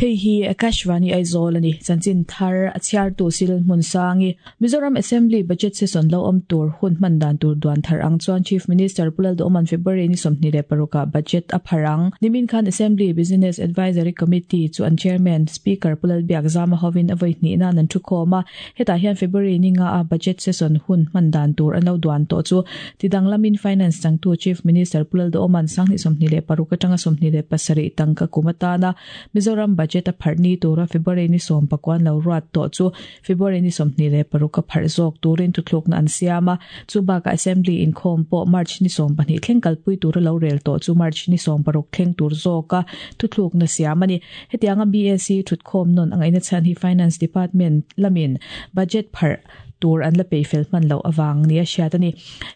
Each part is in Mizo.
Hei hi Akashvani Aizawl a ni. Chanchin thar a chhiartu Sil Hmunsangi. Mizoram Assembly Budget Session lo awm tur hun hman dan tur duan thar ang chuan Chief Minister Pu Lalduhawma'n February ni 26 ah Budget a phar ang. Nimin khan Assembly Business Advisory Committee chu an Chairman, Speaker Pu Lalbiakzama hovin a vawi hnih nan an thukhawm a. Hetah hian February ni nga a Budget Session hun hman dan tur an lo duan tawh chu tidanglamin Finance changtu Chief Minister Pu Lalduhawma'n 2026 atanga 27 tangka kum atana Mizoram Budget a pharh ni tura February ni sawmpakua an lo ruat tawh chu February ni 26 a pharh zawk turin thuthlukna an siam a. Chu bakah Assembly inkhawm pawh March ni 12 thleng kalpui tura lo rel tawh chu March ni 16 thleng tur zawka thuthlukna siam a ni. Hetianga BAC thutkhawm nawn a ngaihna chhan hi Finance Department lamin Budget pharh tur an la peih fel hman loh avang nia hriat a ni.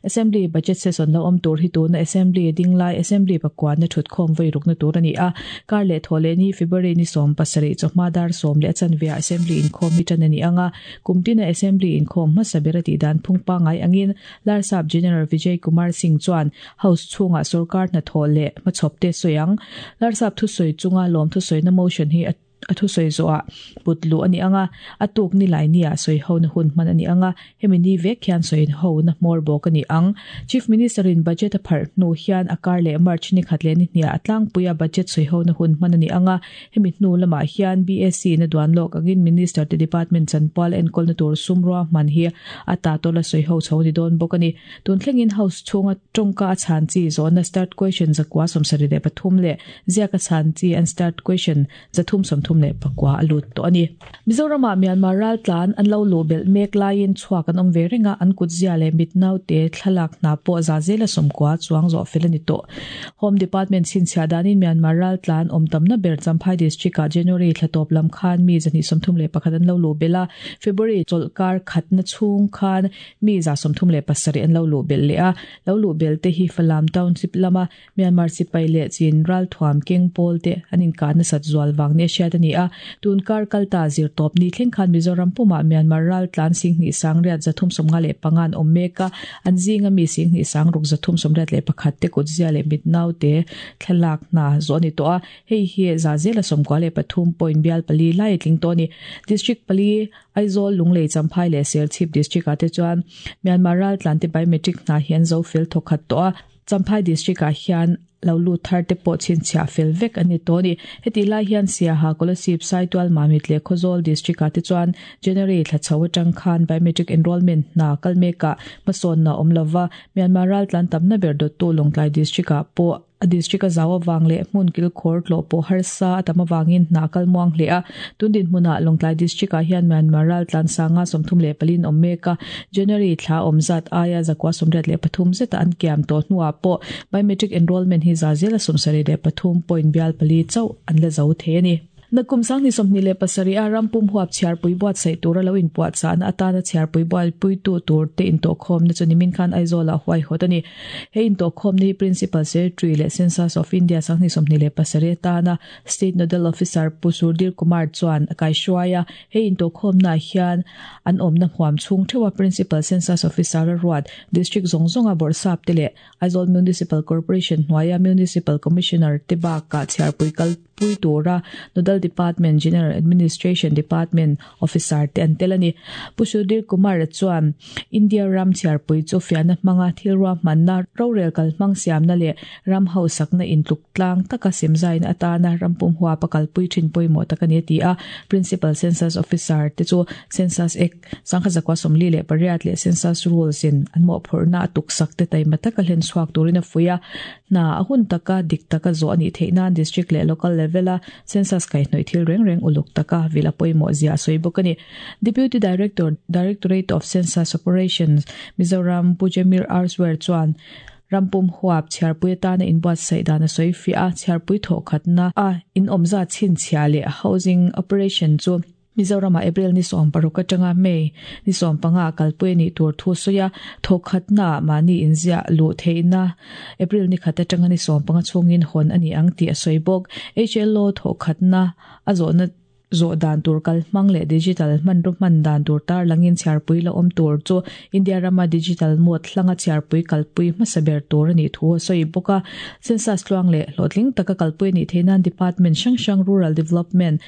Assembly Budget Session lo awm tur hi tuna Assembly dinglai Assembly pakuanna thutkhawm vawi rukna tur a ni a. Kar leh thawh leh ni February ni 17 chawhma dar 10 leh a chanve ah Assembly inkhawm hi tan a ni ang a. Kum tina Assembly inkhawm hmasa ber a tih dan phung pangngai angin Larsap General Vijay Kumar Singh chuan House chhungah sorkar hnathawh leh hmachhawp te sawi ang. Larsap thusawi chunga lawm thusawina motion hi a a thusawi zawhah put luh a ni ang a, a tuk ni lai nia sawi hona hun hman a ni ang a, hemi ni vek hian sawi hona hmawr bawk a ni ang. Chief Minister in budget a pharh hnu hian a kar leh March ni khat leh ni hniah a tlangpuia budget sawi hona hun hman a ni ang a, hemi hnu lamah hian BAC in a duan lawk angin Minister te department chanpual enkawlna tur sum ruahman hi a ta tawla sawi ho chho a ni dawn bawk a ni. Tun thlengin House chhunga tawngka a chhan chi zawhna Start Question 173 leh ziaka chhan chi Unstart Question 334 a lut tawh a ni. Mizoramah Myanmar raltlan an lo luh belh mek laiin chhuak an awm ve reng a, an kutzia leh mit naute thlalak hna pawh za zela 90 chuang zawh fel a ni tawh. Home Department chhinchhiah danin Myanmar raltlan awm tamna ber Champhai District-ah January thla tawp lam khan mi 231 an lo luh belh a, February chawlhkar khatna chhung khan Mi 37 an lo luh belh leh a, lo luh belh te hi Falam Township lama Myanmar sipai leh Chin ralthuam keng pawl te an inkah nasat zual vang nia hriat a ni a. Tun kar kalta zirtawp ni thleng khan Mizoram pumah Myanmar raltlan 23,355 an awm mek a, an zinga mi 26,381 te kutzia leh mitnaute thlalak hna zawh a ni tawh a, hei hi 93 point bial pali lai a tling tawh a ni. District pali Aizawl, Lunglei, Champhai leh Serchhip District ah te chuan Myanmar raltlante biometric hna hi an zo fel thawkhat tawh a, Champhai District ah hian lo lut thar te pawh chhinchhiah fel vek an ni tawh a ni. Hetih lai hian Siaha, Kolasib, Saitual, Mamit leh Khawzawl District ah te chuan January thla chho atang khan biometric enrollment hna kal mekah hmasawnna a awm lova, Myanmar raltlan tamna ber dawttu Lawngtlai District ah pawh A district a zau avang leh hmun kilkhawr tlawh pawh harsa a tam avangin hna a kal muang hle a. Tun dinhmunah Lawngtlai District ah hian Myanmar raltlan sanga 34 in awm mek a, January thla awm zat aia 183 zeta an kiam tawh hnuah pawh biometric enrollment hi za zela 73 point bial pali chauh an la zo thei a ni. Nakum 2027 a ram pum huap chhiarpui buatsaih tura lo inpuahchahna atana chhiarpui buaipuitu tur te intawhkhawmna chu nimin khan Aizawlah huaihawt a ni. He intawhkhawmna hi Principal Secretary leh Census of India 2027 atana State Nodal Officer Pu Sudhir Kumar chuan a kaihruai a. He intawhkhawmnaah hian an awmna huam chhung theuha Principal Census Officer a ruat District zawng zawnga bawrhsap te leh Aizawl Municipal Corporation hnuaia Municipal Commissioner te bakah chhiarpui kal pui tura Nodal Department General Administration Department Officer te an tel a ni. Pu Sudhir Kumar chuan India ram chhiarpui chu fiahna hmanga thil ruahmanna, rorel kalhmang siamna leh ram hausakna intluk tlang taka semzaina atana ram pum huapa kalpui thin pawimawh tak a ni a ti a. Principal Census Officer te chu Census Act 1948 leh Census Rules in an mawhphurhna a tuksak te taima taka hlen chhuak turin a fuih a. Hna a hun taka dik taka zawh a nih theih nan District leh Local level a Census kaihhnawih thil reng reng uluk taka vil a pawimawh zia a sawi bawk a ni. Deputy Director, Directorate of Census Operations, Mizoram Pu Jemir Arswer chuan rampum huap chhiarpui atana inbuatsaih dan a sawi fiah a, chhiarpui thawhkhatna a inawmzat chhinchhiah leh housing operation chu Mizoramah April ni 16 atanga May ni 15 ah kalpui a nih tur thu sawi a, thawkhatnaah mahni inziah luh theihna April ni khat atanga ni 15 chhungin hawn a ni ang tih a sawi bawk. HLO thawkhatna a zawhna. Zawh dan tur kalhmang leh digital hmanraw hman dan tur tarlangin chhiarpui la awm tur chu India rama digital mode hlanga chhiarpui kalpui hmasa ber tur a nih thu a sawi bawk a. Census tluang leh hlawhtling taka kalpui a nih theih nan department hrang hrang Rural Development,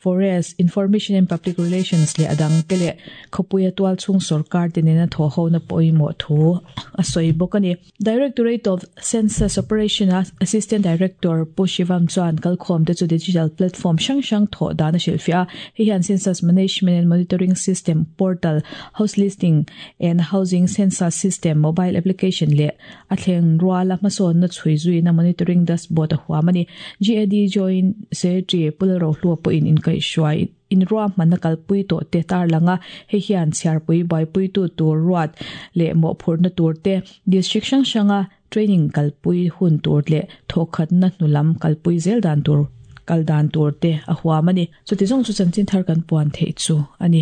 Forest, Information and Public Relations leh a dangte leh khawpuia tualchhung sawrkar te nena thawhhona pawimawh thu a sawi bawk a ni. Directorate of Census Operation-a Assistant Director Pu Shivam chuan kalkhawmte chu digital platform hrang hrang thawh dan a hrilhfiah a. Hei hian Census Management and Monitoring System Portal, House Listing and Housing Census System mobile application leh a thleng ruala hmasawnna chhui zuina Monitoring Dashboard a huam a ni. GAD Joint Secretary Pu Lalrohlua pawhin inkaihhruai Inruahmanna kalpui tawh te tarlang a, hei hian chhiarpui buaipuitu tur ruat leh mawhphurhna tur te, district hrang hranga training kalpui hun tur leh thawhkhatna hnulam kalpui zel dan tur kal dan tur te a huam a ni. Chuti zawng chu chanchin thar kan puan theih chu a ni.